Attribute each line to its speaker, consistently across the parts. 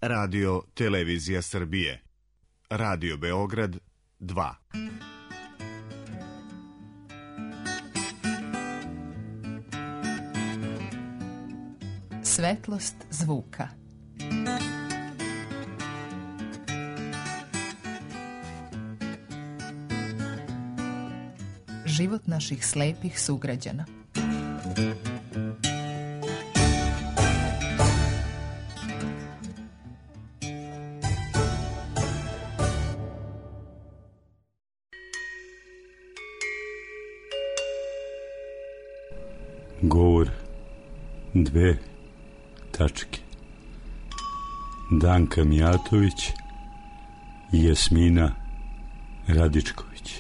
Speaker 1: Radio Televizija Srbije, Radio Beograd 2.
Speaker 2: Svetlost zvuka. Život naših slepih sugrađana.
Speaker 3: Govor 2 tačke. Danka Mijatović i Jasmina Radičković.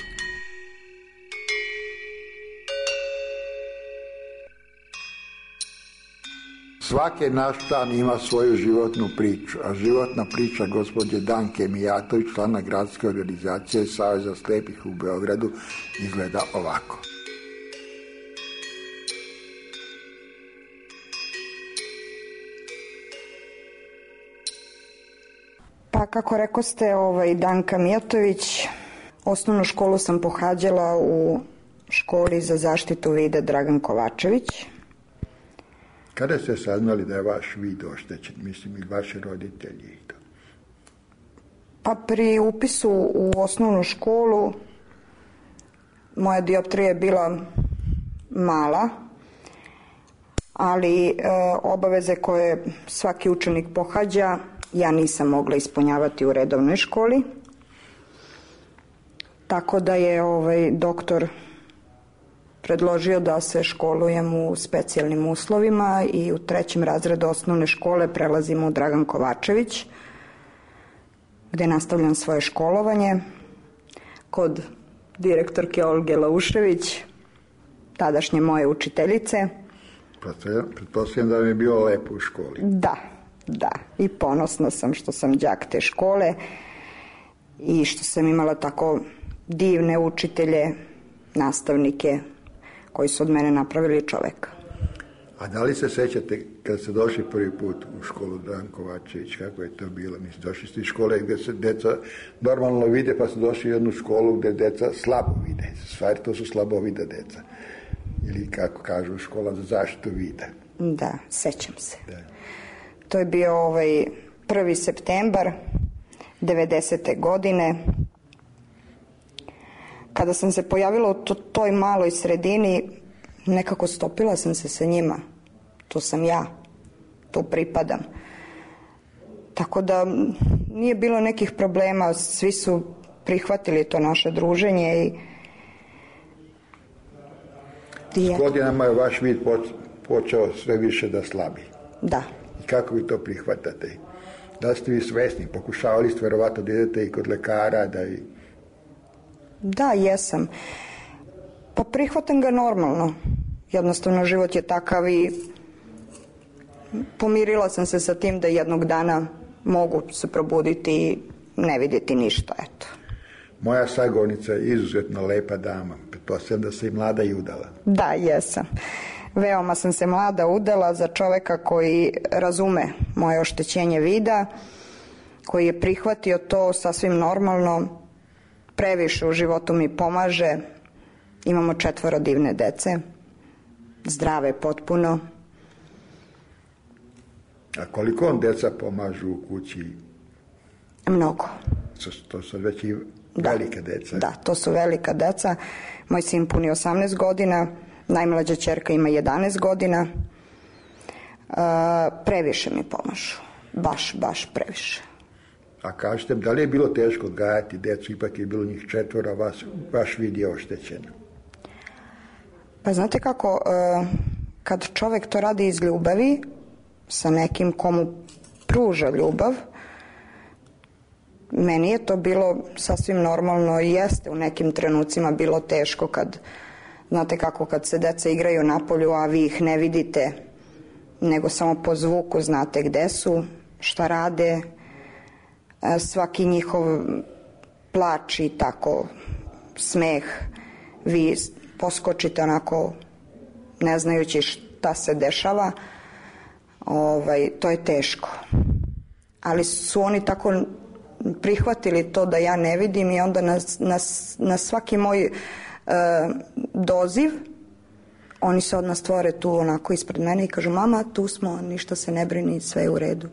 Speaker 4: Svaki naš dan ima svoju životnu priču, a životna priča gospođe Danke Mijatović, člana gradske organizacije Saveza slepih u Beogradu, izgleda ovako.
Speaker 5: Pa kako rekoste, Danka Mijatović, osnovnu školu sam pohađala u školi za zaštitu vida Dragan Kovačević.
Speaker 4: Kada ste saznali da je vaš vid oštećen, mislim i vaši roditelji i to?
Speaker 5: Pa pri upisu u osnovnu školu moja dioptrija je bila mala, ali obaveze koje svaki učenik pohađa ja nisam mogla ispunjavati u redovnoj školi. Tako da je doktor predložio da se školujem u specijalnim uslovima i u 3. razredu osnovne škole prelazim u Dragan Kovačević, gde nastavljam svoje školovanje kod direktorke Olge Laušević, tadašnje moje učiteljice.
Speaker 4: Pretpostavljam da mi je bilo lepo u školi.
Speaker 5: Da, i ponosna sam što sam đak te škole i što sam imala tako divne učitelje, nastavnike koji su od mene napravili čoveka.
Speaker 4: A da li se sećate kad ste došli prvi put u školu Dragan Kovačević, kako je to bilo? Mislim, došli ste iz škole gde se deca normalno vide, pa ste došli u jednu školu gde deca slabo vide. Stvari, to su slabovida deca. Ili kako kažu, škola za zaštitu vida.
Speaker 5: Da, sećam se.
Speaker 4: Da.
Speaker 5: To je bio 1. septembar 90. godine. Kada sam se pojavila u toj maloj sredini, nekako stopila sam se sa njima. Tu sam ja, tu pripadam. Tako da nije bilo nekih problema, svi su prihvatili to naše druženje
Speaker 4: S godinama je vaš vid počeo sve više da slabi.
Speaker 5: Da.
Speaker 4: I kako vi to prihvatate? Da ste vi svesni? Pokušavali ste verovatno da idete i kod lekara,
Speaker 5: Da, jesam. Pa prihvatam ga normalno. Jednostavno život je takav i pomirila sam se sa tim da jednog dana mogu se probuditi i ne vidjeti ništa, eto.
Speaker 4: Moja sagovornica je izuzetno lepa dama. Pretpostavljam da se i mlada i udala.
Speaker 5: Da, jesam. Veoma sam se mlada udala za čoveka koji razume moje oštećenje vida, koji je prihvatio to sasvim normalno, previše u životu mi pomaže. Imamo 4 divne dece, zdrave potpuno.
Speaker 4: A koliko on deca pomažu u kući?
Speaker 5: Mnogo.
Speaker 4: To su već i velike deca.
Speaker 5: Da, to su velika deca. Moj sin puni 18 godina, najmlađa ćerka ima 11 godina. Previše mi pomažu. Baš previše.
Speaker 4: A kažete, da li je bilo teško odgajati decu, ipak je bilo njih 4, a vaš vid je oštećen?
Speaker 5: Pa znate kako, kad čovek to radi iz ljubavi, sa nekim komu pruža ljubav, meni je to bilo sasvim normalno i jeste u nekim trenucima bilo teško kad, znate kako, kad se deca igraju napolju, a vi ih ne vidite, nego samo po zvuku znate gde su, šta rade, svaki njihov plač i tako smeh, vi poskočite onako ne znajući šta se dešava, to je teško. Ali su oni tako prihvatili to da ja ne vidim i onda na svaki moj doziv oni se odmah stvore tu onako ispred mene i kažu mama, tu smo, ništa se ne brini, sve je u redu.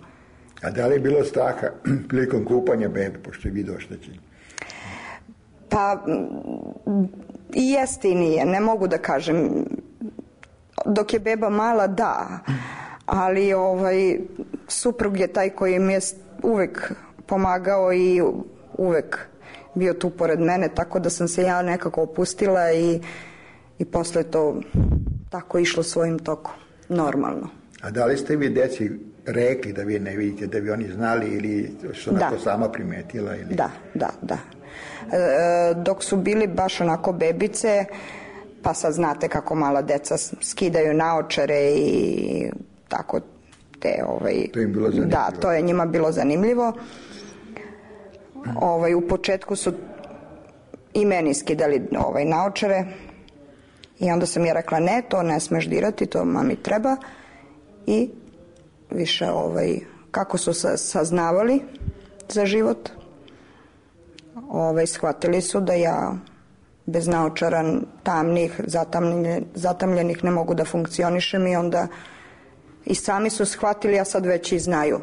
Speaker 4: A da li je bilo straha prilikom kupanja bebe, pošto je video oštećenje?
Speaker 5: Pa i jeste i nije, ne mogu da kažem. Dok je beba mala, da, ali suprug je taj koji mi je uvek pomagao i uvek bio tu pored mene, tako da sam se ja nekako opustila i posle to tako išlo svojim tokom, normalno.
Speaker 4: A da li ste vi deci rekli da vi ne vidite, da bi oni znali ili su onako sama primetila? Ili...
Speaker 5: Da. Dok su bili baš onako bebice, pa sad znate kako mala deca skidaju naočare i tako te...
Speaker 4: To im bilo zanimljivo.
Speaker 5: Da, to je njima bilo zanimljivo. U početku su i meni skidali naočare i onda sam ja rekla ne, to ne smeš dirati, to mami treba. I više kako su saznavali za život, shvatili su da ja bez naočara tamnih, zatamljenih ne mogu da funkcionišem i onda i sami su shvatili, a sad već i znaju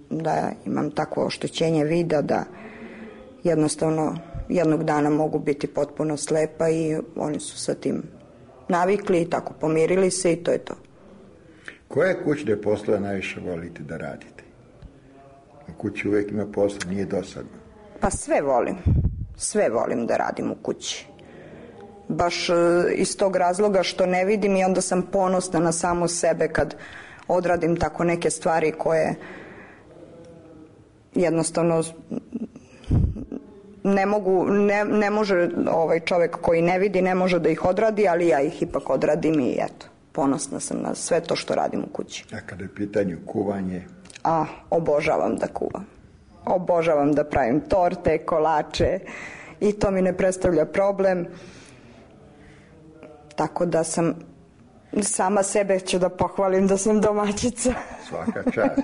Speaker 5: da imam takvo oštećenje vida da jednostavno jednog dana mogu biti potpuno slepa i oni su sa tim navikli i tako pomirili se i to je to.
Speaker 4: Koje kućne poslove najviše volite da radite? U kući uvijek ima posla, nije dosadno.
Speaker 5: Pa sve volim da radim u kući. Baš iz tog razloga što ne vidim i onda sam ponosna na samu sebe kad odradim tako neke stvari koje jednostavno ne može čovjek koji ne vidi, ne može da ih odradi, ali ja ih ipak odradim i eto, ponosna sam na sve to što radim u kući.
Speaker 4: A kada je pitanje kuvanje?
Speaker 5: Obožavam da kuvam. Obožavam da pravim torte, kolače i to mi ne predstavlja problem. Tako da sam, sama sebe ću da pohvalim da sam domaćica.
Speaker 4: Svaka čast.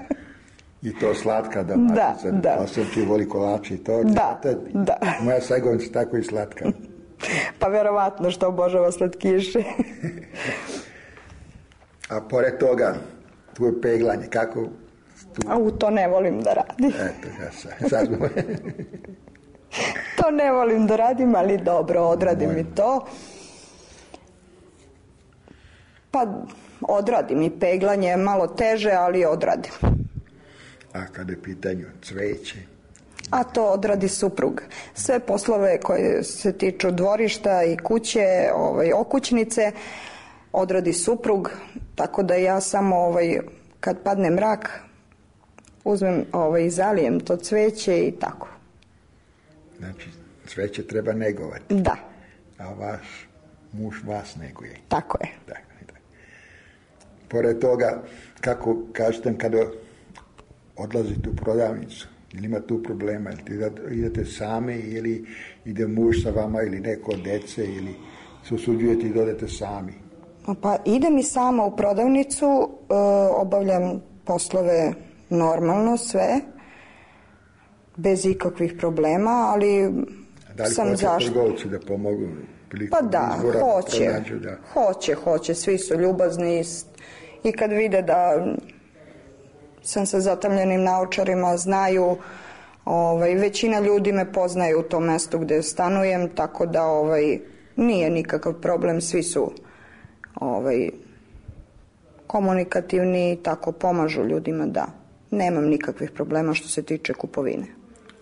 Speaker 4: I to slatka domaćica. Da. Osim ti voli kolače i torte.
Speaker 5: Da.
Speaker 4: Moja Sajgovica tako i slatka.
Speaker 5: Pa verovatno što obožava slatkiše.
Speaker 4: A pored toga, tvoje peglanje, kako...
Speaker 5: To ne volim da radim.
Speaker 4: Eto, sad smo...
Speaker 5: To ne volim da radim, ali dobro, odradim i to. Pa odradim i peglanje, malo teže, ali odradim.
Speaker 4: A kada je pitanju cveće?
Speaker 5: A to odradi suprug. Sve poslove koje se tiču dvorišta i kuće, okućnice, odradi suprug, tako da ja samo kad padne mrak uzmem i zalijem to cveće i tako.
Speaker 4: Znači, cveće treba negovati.
Speaker 5: Da.
Speaker 4: A vaš muž vas neguje.
Speaker 5: Tako je.
Speaker 4: Da. Pored toga, kako kažete kada odlazite u prodavnicu, ili ima tu problema, ili idete sami, ili ide muž sa vama, ili neko od dece, ili se usuđujete i dodete sami?
Speaker 5: Pa idem i sama u prodavnicu, obavljam poslove normalno sve, bez ikakvih problema, ali sam zašto...
Speaker 4: Da li hoće trgovci da pomogu prilikom izbora?
Speaker 5: Hoće, svi su ljubazni i kad vide da sam sa zatamljenim naočarima, znaju, većina ljudi me poznaju u tom mestu gde stanujem, tako da nije nikakav problem, svi su komunikativni i tako pomažu ljudima, da. Nemam nikakvih problema što se tiče kupovine.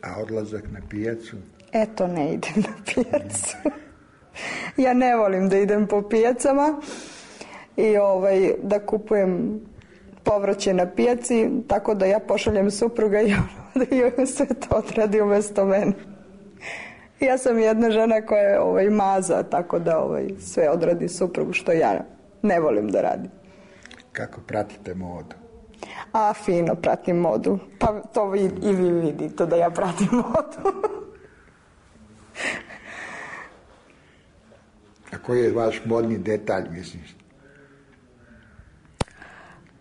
Speaker 4: A odlazak na pijacu?
Speaker 5: Eto, ne idem na pijacu. Ja ne volim da idem po pijacama i da kupujem povrće na pijaci, tako da ja pošaljem supruga i da sve to odradi umjesto mene. Ja sam jedna žena koja je maza, tako da sve odradi suprug, što ja ne volim da radim.
Speaker 4: Kako pratite modu?
Speaker 5: Fino pratim modu. Pa to i vi vidite da ja pratim modu.
Speaker 4: A koji je vaš modni detalj, misliš?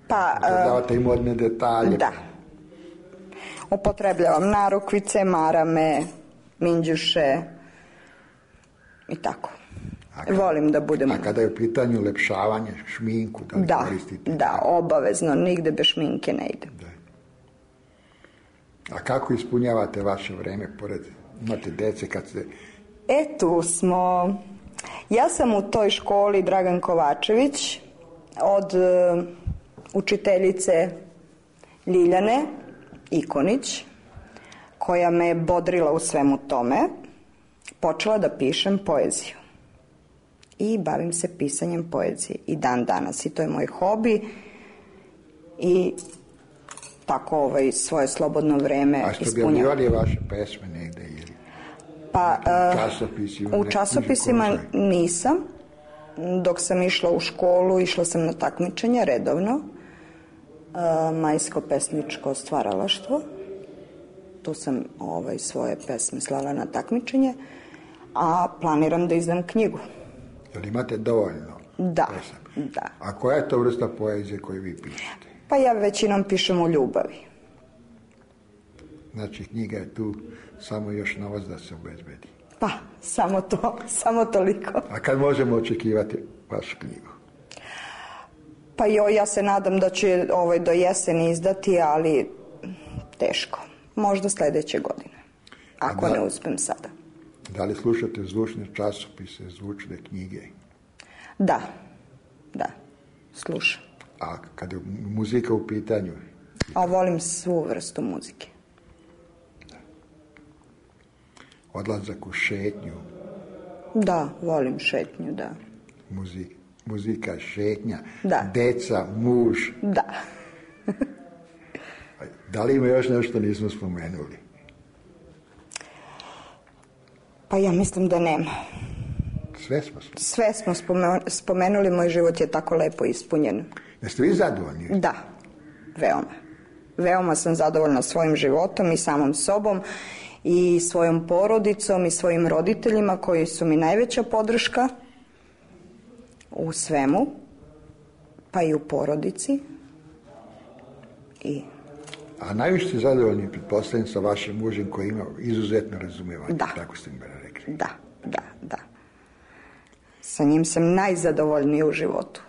Speaker 5: Pa...
Speaker 4: Davate i modne detalje.
Speaker 5: Da. upotrebljavam narukvice, marame, minđuše i tako. Volim da budem...
Speaker 4: A kada je u pitanju ulepšavanje, šminku, da li koristite?
Speaker 5: Da, obavezno, nigde bez šminke ne ide.
Speaker 4: Da. A kako ispunjavate vaše vreme, pored imate dece kad ste...
Speaker 5: Tu smo... Ja sam u toj školi Dragan Kovačević od učiteljice Ljiljane Ikonić, koja me je bodrila u svemu tome, počela da pišem poeziju. I bavim se pisanjem poezije i dan danas. I to je moj hobi i tako svoje slobodno vreme ispunjam.
Speaker 4: A što objavljivali vaše pesme negde ili
Speaker 5: u časopisima nisam. Dok sam išla u školu, išla sam na takmičenja redovno. Majsko pesničko stvaralaštvo. Tu sam svoje pesme slala na takmičenje, a planiram da izdam knjigu.
Speaker 4: Jel imate dovoljno?
Speaker 5: Da.
Speaker 4: A koja je to vrsta poezije koju vi pišete?
Speaker 5: Pa ja većinom pišem o ljubavi.
Speaker 4: Znači knjiga je tu samo još novac da se obezbedi.
Speaker 5: Pa, samo to, samo toliko.
Speaker 4: A kad možemo očekivati vašu knjigu?
Speaker 5: Pa ja se nadam da će do jeseni izdati, ali teško. Možda sledeće godine, ako ne uspem sada.
Speaker 4: Da li slušate zvučne časopise, zvučne knjige?
Speaker 5: Da, slušam.
Speaker 4: A kada je muzika u pitanju?
Speaker 5: A volim svu vrstu muzike.
Speaker 4: Odlazak u šetnju?
Speaker 5: Da, volim šetnju, da.
Speaker 4: Muzika, šetnja,
Speaker 5: da.
Speaker 4: Deca, muž?
Speaker 5: Da.
Speaker 4: Da li ima još nešto nismo spomenuli?
Speaker 5: Pa ja mislim da nema.
Speaker 4: Sve smo
Speaker 5: spomenuli, moj život je tako lepo ispunjen.
Speaker 4: Jeste vi zadovoljni?
Speaker 5: Da, veoma. Veoma sam zadovoljna svojim životom i samom sobom i svojom porodicom i svojim roditeljima koji su mi najveća podrška u svemu, pa i u porodici.
Speaker 4: A najviše ste zadovoljni, pretpostavljam, sa vašim mužem koji ima izuzetno razumevanje.
Speaker 5: Da.
Speaker 4: Tako ste mi rekli.
Speaker 5: Da. Sa njim sam najzadovoljnija u životu.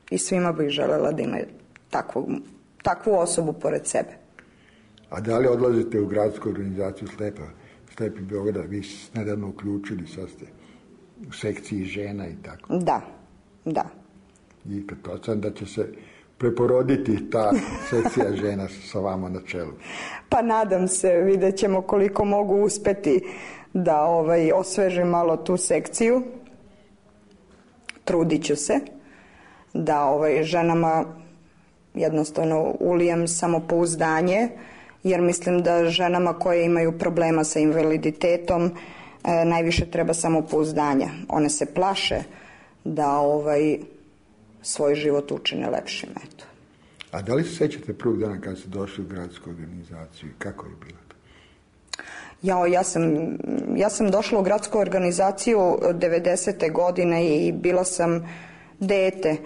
Speaker 5: I svima bih želela da imaju takvu osobu pored sebe.
Speaker 4: A da li odlazite u gradsku organizaciju Slepi Beograd? Vi ste nedavno uključili, sad ste u sekciji žena i tako.
Speaker 5: Da.
Speaker 4: I pretpostavljam da će se preporoditi ta sekcija žena sa vama na čelu.
Speaker 5: Pa nadam se, vidjet ćemo koliko mogu uspeti da osvežim malo tu sekciju. Trudit ću se da ženama jednostavno ulijem samopouzdanje, jer mislim da ženama koje imaju problema sa invaliditetom najviše treba samopouzdanja. One se plaše da svoj život učine lepšim. Eto.
Speaker 4: A da li se sećate prvog dana kad ste došli u gradsku organizaciju? Kako je bilo to? Ja sam došla u gradsku organizaciju 90. godine i bila sam dete.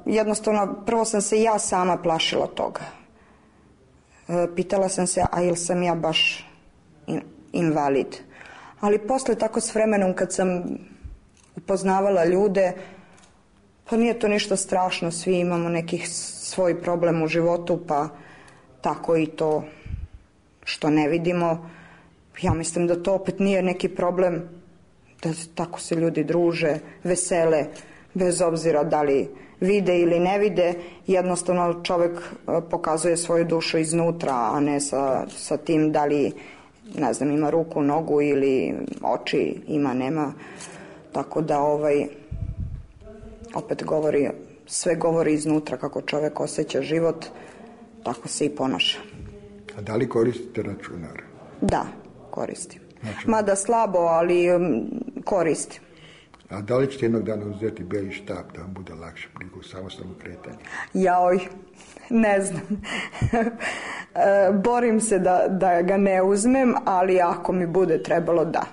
Speaker 4: Jednostavno, prvo sam se ja sama plašila toga. Pitala sam se, a ili sam ja baš invalid? Ali posle, tako s vremenom, kad sam upoznavala ljude, pa nije to ništa strašno, svi imamo nekih svoj problem u životu, pa tako i to što ne vidimo. Ja mislim da to opet nije neki problem, da tako se ljudi druže, vesele, bez obzira da li vide ili ne vide. Jednostavno čovjek pokazuje svoju dušu iznutra, a ne sa tim da li, ne znam, ima ruku, nogu ili oči, ima, nema. Tako da opet sve govori iznutra, kako čovjek osjeća život, tako se i ponaša. A da li koristite računar?
Speaker 5: Da, koristim. Mada slabo, ali koristim.
Speaker 4: A da li ćete jednog dana uzeti beli štap da vam bude lakše prilikom samostalnog kretanja?
Speaker 5: Ne znam. Borim se da ga ne uzmem, ali ako mi bude trebalo, da.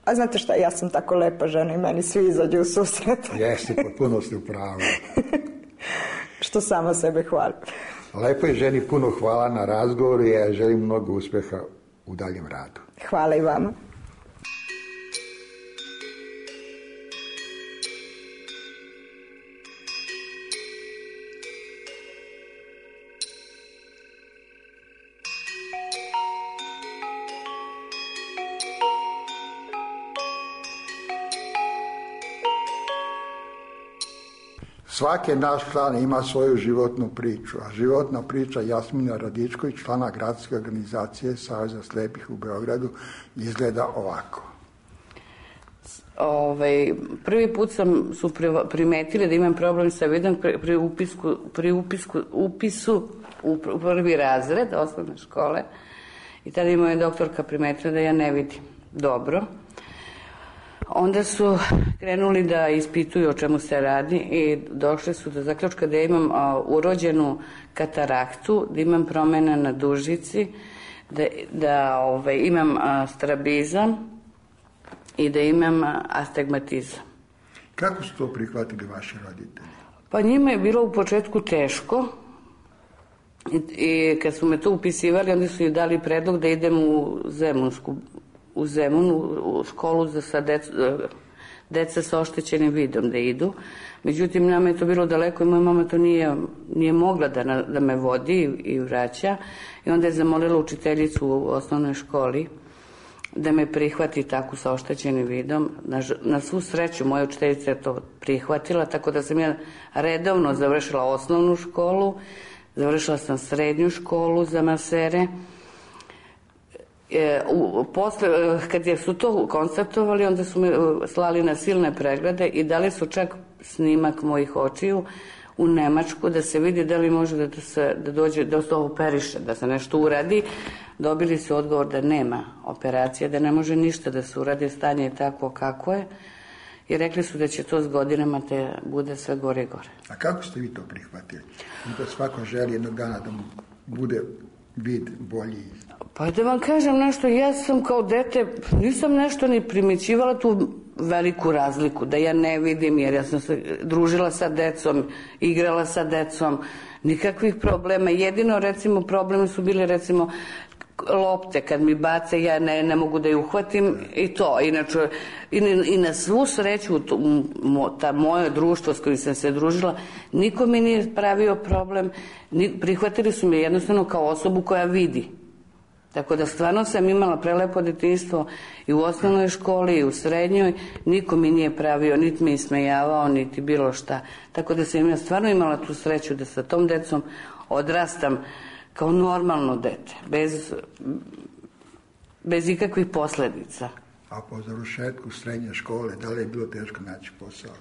Speaker 5: A znate šta, ja sam tako lepa žena i meni svi izađu u susret.
Speaker 4: Jeste, potpuno ste u pravu.
Speaker 5: Što sama sebe hvalim.
Speaker 4: Lepo je, ženi puno hvala na razgovoru i ja želim mnogo uspjeha u daljem radu.
Speaker 5: Hvala i vama.
Speaker 4: Svaki naš član ima svoju životnu priču, a životna priča Jasmina Radičković, člana gradske organizacije Saveza slepih u Beogradu, izgleda ovako.
Speaker 6: Prvi put su primetili da imam problem sa vidom pri upisu u prvi razred osnovne škole i tada je moja doktorka primetila da ja ne vidim dobro. Onda su krenuli da ispituju o čemu se radi i došli su do zaključka da imam urođenu kataraktu, da imam promjena na dužici, da imam strabizam i da imam astigmatizam.
Speaker 4: Kako su to prihvatili vaši roditelji?
Speaker 6: Pa njima je bilo u početku teško i kad su me to upisivali, onda su joj dali predlog da idem u Zemun, u školu za deca sa oštećenim vidom da idu. Međutim, nama je to bilo daleko i moja mama to nije mogla da me vodi i vraća. I onda je zamolila učiteljicu u osnovnoj školi da me prihvati tako sa oštećenim vidom. Na svu sreću moja učiteljica je to prihvatila, tako da sam ja redovno završila osnovnu školu, završila sam srednju školu za masere. Posle, kad su to konstatovali, onda su me slali na silne preglede i dali su čak snimak mojih očiju u Nemačku da se vidi da li može da dođe, da se operiše, da se nešto uradi. Dobili su odgovor da nema operacije, da ne može ništa da se uradi, stanje je tako kako je i rekli su da će to s godinama te bude sve gore i gore.
Speaker 4: A kako ste vi to prihvatili? Da svako želi jednog dana da mu bude vid bolji?
Speaker 6: Pa da vam kažem nešto, ja sam kao dete, nisam nešto ni primećivala tu veliku razliku, da ja ne vidim, jer ja sam se družila sa decom, igrala sa decom, nikakvih problema. Jedino, recimo, problemi su bili, recimo, lopte, kad mi bace, ja ne mogu da je uhvatim i to. Inače, i na svu sreću, ta moje društvo s kojim sam se družila, niko mi nije pravio problem, prihvatili su me jednostavno kao osobu koja vidi. Tako da stvarno sam imala prelepo detinjstvo i u osnovnoj školi i u srednjoj, niko mi nije pravio, niti me ismejavao, niti bilo šta. Tako da sam ja stvarno imala tu sreću da sa tom decom odrastam kao normalno dete, bez ikakvih posljedica.
Speaker 4: A po završetku srednje škole, da li je bilo teško naći posao?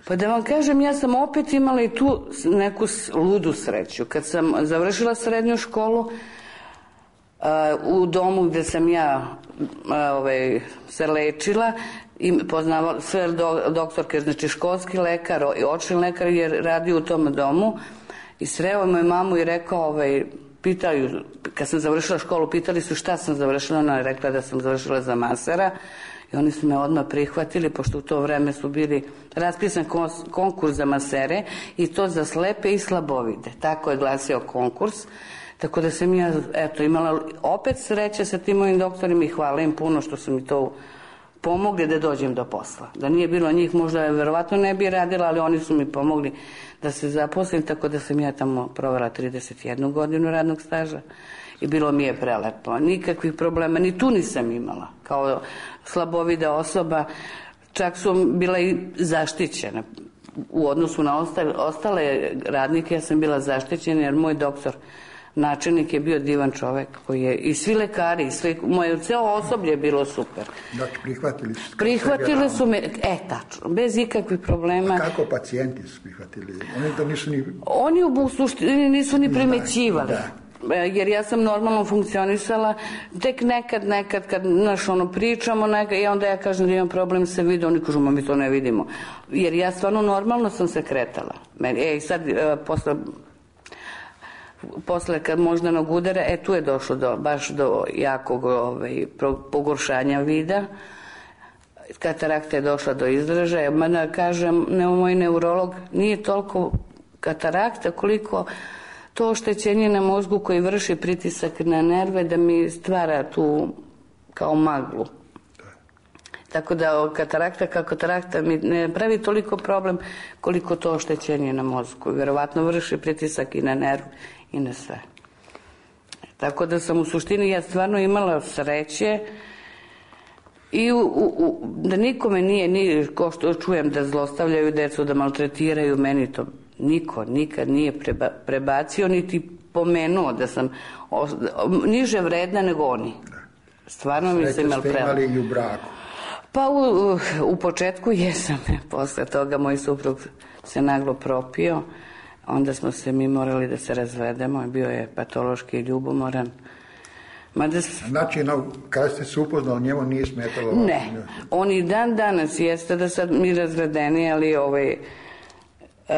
Speaker 6: Pa da vam kažem, ja sam opet imala i tu neku ludu sreću. Kad sam završila srednju školu, u domu gde sam ja se lečila i poznavala sve doktorke, znači školski lekar i očni lekar je radio u tom domu i sreo moju mamu i rekao, pitaju, kad sam završila školu, pitali su šta sam završila, ona je rekla da sam završila za masera i oni su me odmah prihvatili, pošto u to vreme su bili raspisan konkurs za masere i to za slepe i slabovide, tako je glasio konkurs. Tako da sam ja, imala opet sreće sa tim mojim doktorima i hvala im puno što su mi to pomogli da dođem do posla. Da nije bilo njih, možda je verovatno ne bi radila, ali oni su mi pomogli da se zaposlim, tako da sam ja tamo provela 31 godinu radnog staža i bilo mi je prelepo. Nikakvih problema, ni tu nisam imala. Kao slabovida osoba, čak su bila i zaštićena. U odnosu na ostale radnike ja sam bila zaštićena jer moj doktor načelnik je bio divan čovek koji je, i svi lekari, i moje ceo osoblje je bilo super.
Speaker 4: Dakle,
Speaker 6: prihvatili su me, tačno, bez ikakvih problema.
Speaker 4: A kako pacijenti su prihvatili? Oni to nisu ni...
Speaker 6: Oni u suštini nisu ni primećivali. Jer ja sam normalno funkcionisala, tek nekad kad pričamo, i onda ja kažem da imam problem sa vidom, oni kažu, mi to ne vidimo. Jer ja stvarno normalno sam se kretala. Sad, posle kad moždanog udara, tu je došlo baš do jakog pogoršanja vida. Katarakta je došla do izražaja. Mada kažem, moj neurolog, nije toliko katarakta koliko to oštećenje na mozgu koji vrši pritisak na nerve da mi stvara tu kao maglu. Tako da katarakta mi ne pravi toliko problem koliko to oštećenje na mozgu. Vjerovatno vrši pritisak i na nerv i na sve. Tako da sam u suštini ja stvarno imala sreće i da nikome nije, ko što čujem da zlostavljaju decu, da maltretiraju, meni to niko nikad nije prebacio niti pomenuo da sam niže vredna nego oni. Stvarno mi se imali prema.
Speaker 4: Imali i u braku?
Speaker 6: Pa u početku jesam, posle toga moj suprug se naglo propio, onda smo se mi morali da se razvedemo, bio je patološki ljubomoran.
Speaker 4: Znači, kada ste se upoznali, njemu nije smetalo?
Speaker 6: Ne, on i dan danas jeste da sad mi razvedeni, ali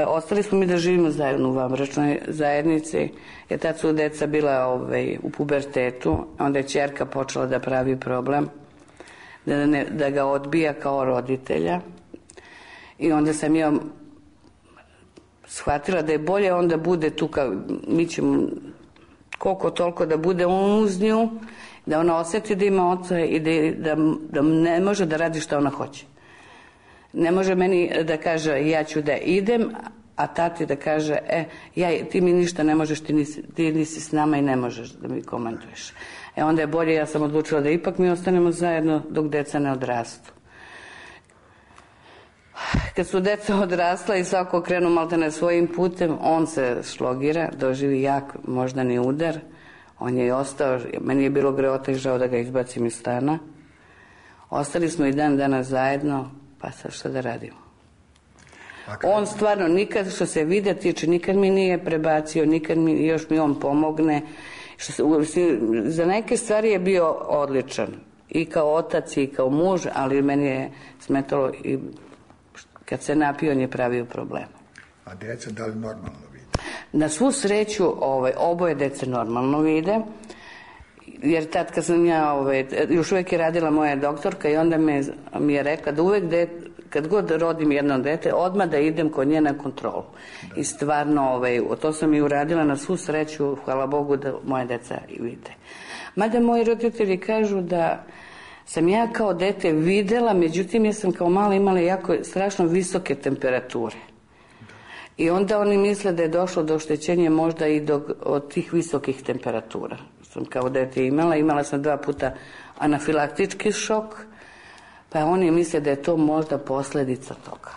Speaker 6: ostali smo mi da živimo zajedno u vanbračnoj zajednici, jer tad su deca bila u pubertetu, onda je ćerka počela da pravi problem, da ga odbija kao roditelja, i onda sam ja shvatila da je bolje onda bude tu, mi ćemo koliko toliko da bude on uz nju, da ona osjeti da ima oca i da ne može da radi što ona hoće. Ne može meni da kaže ja ću da idem, a tati da kaže ti mi ništa ne možeš, ti nisi s nama i ne možeš da mi komanduješ. Onda je bolje, ja sam odlučila da ipak mi ostanemo zajedno dok deca ne odrastu. Kad su deca odrasla i svako krenu maltene svojim putem, on se šlogira, doživi jak moždani udar, on je i ostao, meni je bilo greota i žao da ga izbacim iz stana. Ostali smo i dan danas zajedno, pa sad šta da radimo. On stvarno nikad, što se vide tiče, nikad mi nije prebacio, nikad još mi on pomogne. Za neke stvari je bio odličan, i kao otac i kao muž, ali meni je smetalo i kad se napio, on je pravio problema.
Speaker 4: A deca da li normalno vide?
Speaker 6: Na svu sreću oboje dece normalno vide, jer tad kad sam ja, još uvijek je radila moja doktorka i onda mi je rekla da uvijek kad god rodim jedno dete, odmah da idem kod nje na kontrolu. Da. I stvarno, to sam i uradila, na svu sreću, hvala Bogu da moje deca i vide. Mada moji roditelji kažu da sam ja kao dete videla, međutim ja sam kao mala imala jako strašno visoke temperature. I onda oni misle da je došlo do oštećenja možda i od tih visokih temperatura. Sam kao dete imala sam 2 puta anafilaktički šok, pa oni misle da je to možda posljedica toga.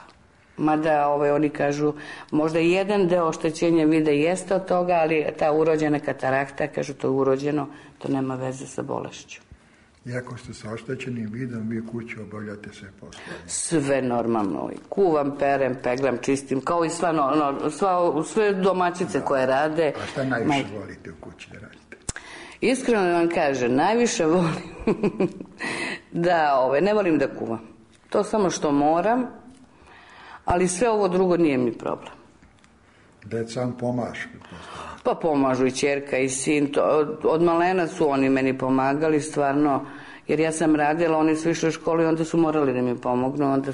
Speaker 6: Mada oni kažu, možda jedan deo oštećenja vida jeste od toga, ali ta urođena katarakta, kažu to je urođeno, to nema veze sa bolešću.
Speaker 4: Iako ste sa oštećenim vidom, vi u kući obavljate sve poslove?
Speaker 6: Sve normalno. Kuvam, perem, peglam, čistim, kao i sve domaćice koje rade.
Speaker 4: A šta najviše volite u kući da radite?
Speaker 6: Iskreno da vam kažem, najviše volim da ne volim da kuvam. To samo što moram, ali sve ovo drugo nije mi problem.
Speaker 4: Deca vam pomažu?
Speaker 6: Pa pomažu i ćerka i sin. Od malena su oni meni pomagali stvarno, jer ja sam radila, oni su išli u školu i onda su morali da mi pomognu. Onda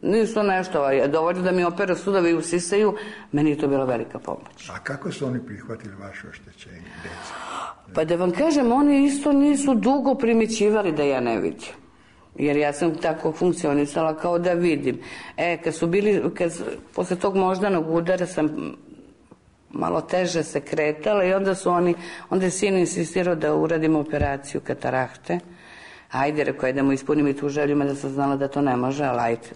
Speaker 6: nisu nešto, dovoljno da mi opere sudovi usisaju, meni je to bila velika pomoć.
Speaker 4: A kako su oni prihvatili vaše oštećenje, deca?
Speaker 6: Pa da vam kažem, oni isto nisu dugo primjećivali da ja ne vidim. Jer ja sam tako funkcionisala kao da vidim. Posle tog moždanog udara sam malo teže se kretala i onda je sin insistirao da uradimo operaciju katarakte. Ajde, rekao je da mu ispunim i tu želju, da sam znala da to ne može, ali ajde.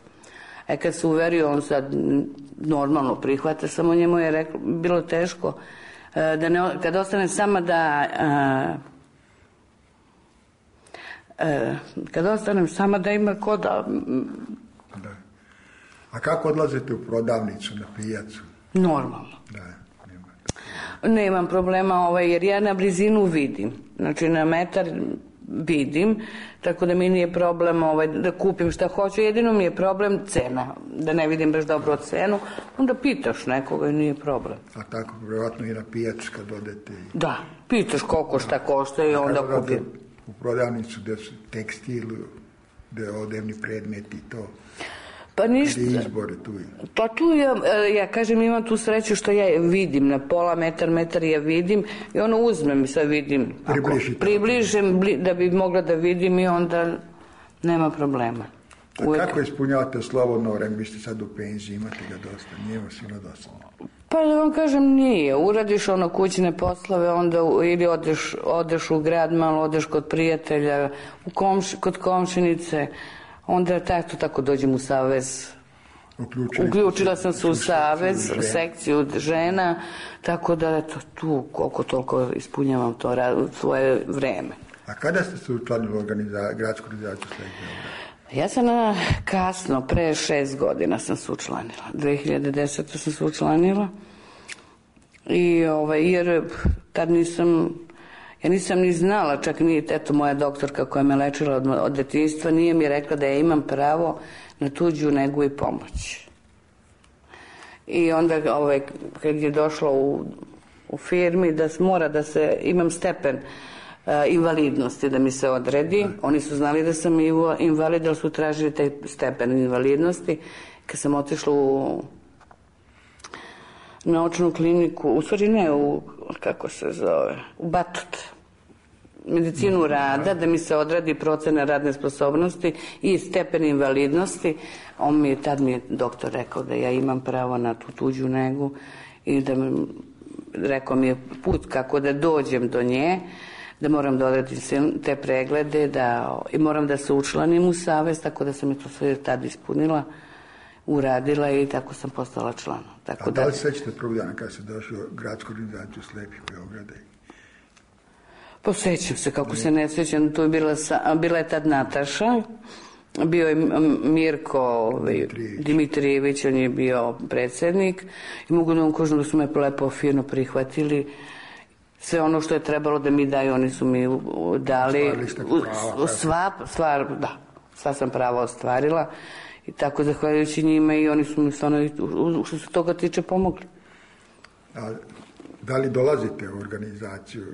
Speaker 6: Kad se uverio, on sad normalno prihvata, samo njemu je bilo teško kad ostane sama da ima ko da...
Speaker 4: A kako odlazite u prodavnicu, na pijacu?
Speaker 6: Normalno. Nemam problema, jer ja na blizinu vidim. Znači na metar vidim, tako da mi nije problem da kupim šta hoću. Jedino mi je problem cena, da ne vidim baš dobro cenu. Onda pitaš nekoga i nije problem.
Speaker 4: A tako vjerojatno i na pijacu kad odete?
Speaker 6: Da, pitaš koliko šta košta i onda kupim.
Speaker 4: U prodavnicu gde su tekstil, gde odevni predmeti i to?
Speaker 6: Pa ništa.
Speaker 4: Izbore tu.
Speaker 6: Pa tu ja kažem, imam tu sreću što ja vidim na pola metar ja vidim i ono uzmem i sad vidim. Približim da bi mogla da vidim i onda nema problema.
Speaker 4: A kako ispunjavate slobodno vreme? Vi ste sad u penziji, imate ga dosta, nije vas bilo dosta?
Speaker 6: Pa da vam kažem, nije. Uradiš ono kućne poslove, onda ili odeš u grad malo, odeš kod prijatelja, kod komšinice, onda tako dođem u savez. Uključila sam se u savez, u sekciju žena, tako da eto, tu koliko toliko ispunjavam to svoje vreme.
Speaker 4: A kada ste se učlanili u gradsku organizaciju Slepi?
Speaker 6: Ja sam kasno, pre 6 godina sam se učlanila. 2010. sam se učlanila. Jer tad ja nisam ni znala, čak ni moja doktorka koja me lečila od detinjstva nije mi rekla da ja imam pravo na tuđu negu i pomoć. I onda kad je došlo u firmi da mora da imam stepen invalidnosti da mi se odredi. Oni su znali da sam invalid, ali su tražili taj stepen invalidnosti. Kad sam otišla u naučnu kliniku, u stvari ne, u Batut, medicinu rada, da mi se odradi procena radne sposobnosti i stepen invalidnosti. Tad mi je doktor rekao da ja imam pravo na tu tuđu negu i rekao mi je put kako da dođem do nje, da moram da odradim te preglede i moram da se učlanim u savez, tako da sam je to sve tad ispunila, uradila i tako sam postala član.
Speaker 4: A da li sećate prvog dana kada ste došli u gradsku organizaciju Slepih Beograda?
Speaker 6: Pa sećam se, kako se ne sećam, tu je bila je tad Nataša, bio je Mirko Dimitrijević, on je bio predsjednik i mogu da vam kažem da su me lepo fino prihvatili. Sve ono što je trebalo da mi daju, oni su mi dali. Sva sam prava ostvarila i tako zahvaljujući njima i oni su mi stvarno, što se toga tiče, pomogli.
Speaker 4: A da li dolazite u organizaciju?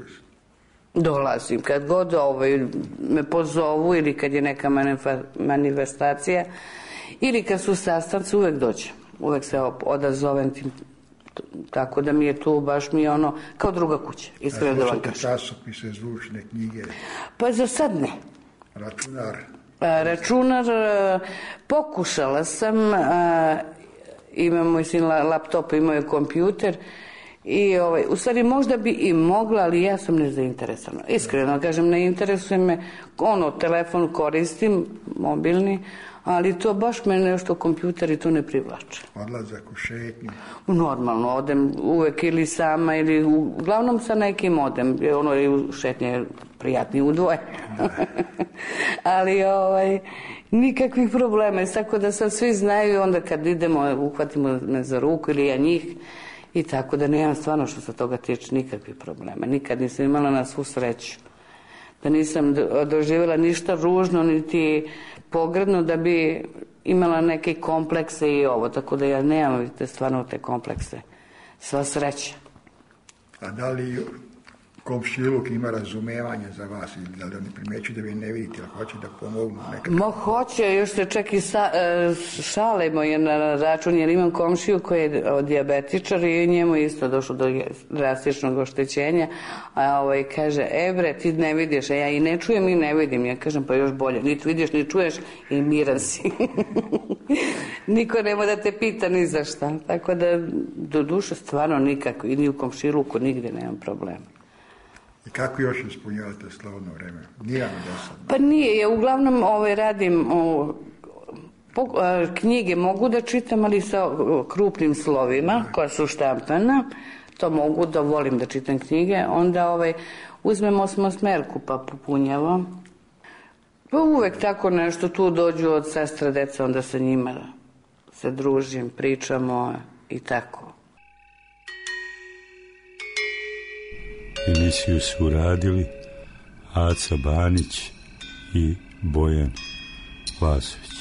Speaker 6: Dolazim. Kad god me pozovu ili kad je neka manifestacija ili kad su sastanci, uvek dođem. Uvek se odazovem tim. Tako da mi je tu baš kao druga kuća.
Speaker 4: A slušate časopise, zvučne knjige?
Speaker 6: Pa za sad ne. Računar, pokušala sam, imam moj sin laptop, imao je kompjuter i u stvari možda bi i mogla, ali ja sam nezainteresovana. Iskreno kažem, ne interesuje me, telefon koristim, mobilni, ali to baš me nešto kompjuter i to ne privlače.
Speaker 4: Odlazak u šetnju?
Speaker 6: Normalno, odem uvek ili sama ili uglavnom sa nekim odem, i u šetnje je prijatnije u dvoje. Ali nikakvih problema, tako da sad svi znaju i onda kad idemo, uhvatimo me za ruku ili ja njih i tako da nemam stvarno što se toga tiče nikakvih problema. Nikad nisam imala na svu sreću. Da nisam doživjela ništa ružno, niti pogrdno da bi imala neke komplekse i tako da ja nemam, vidite, stvarno te komplekse. Sva sreća.
Speaker 4: A da li komšiluk ima razumevanje za vas ili da li oni primećuju da vi ne vidite ili hoće da pomognu nekako?
Speaker 6: Hoće, još se čak i šalimo na račun jer imam komšiju koji je dijabetičar i njemu isto došlo do drastičnog oštećenja, a kaže, bre, ti ne vidiš, a ja i ne čujem i ne vidim. Ja kažem, pa još bolje, niti vidiš, ni čuješ i miran si. Niko nema da te pita ni za šta. Tako da, do duše, stvarno nikako, i ni u komšiluku nigde nemam problema.
Speaker 4: I kako još ispunjavate slobodno vreme? Nije vam dosadno?
Speaker 6: Pa nije, ja uglavnom radim knjige mogu da čitam, ali sa krupnim slovima koja su štampana, to mogu da volim da čitam knjige, onda uzmem osmosmerku pa popunjavam. Pa uvek tako nešto, tu dođu od sestra deca, onda sa njima se družim, pričamo i tako.
Speaker 3: Emisiju su uradili Aca Banić i Bojan Vasović.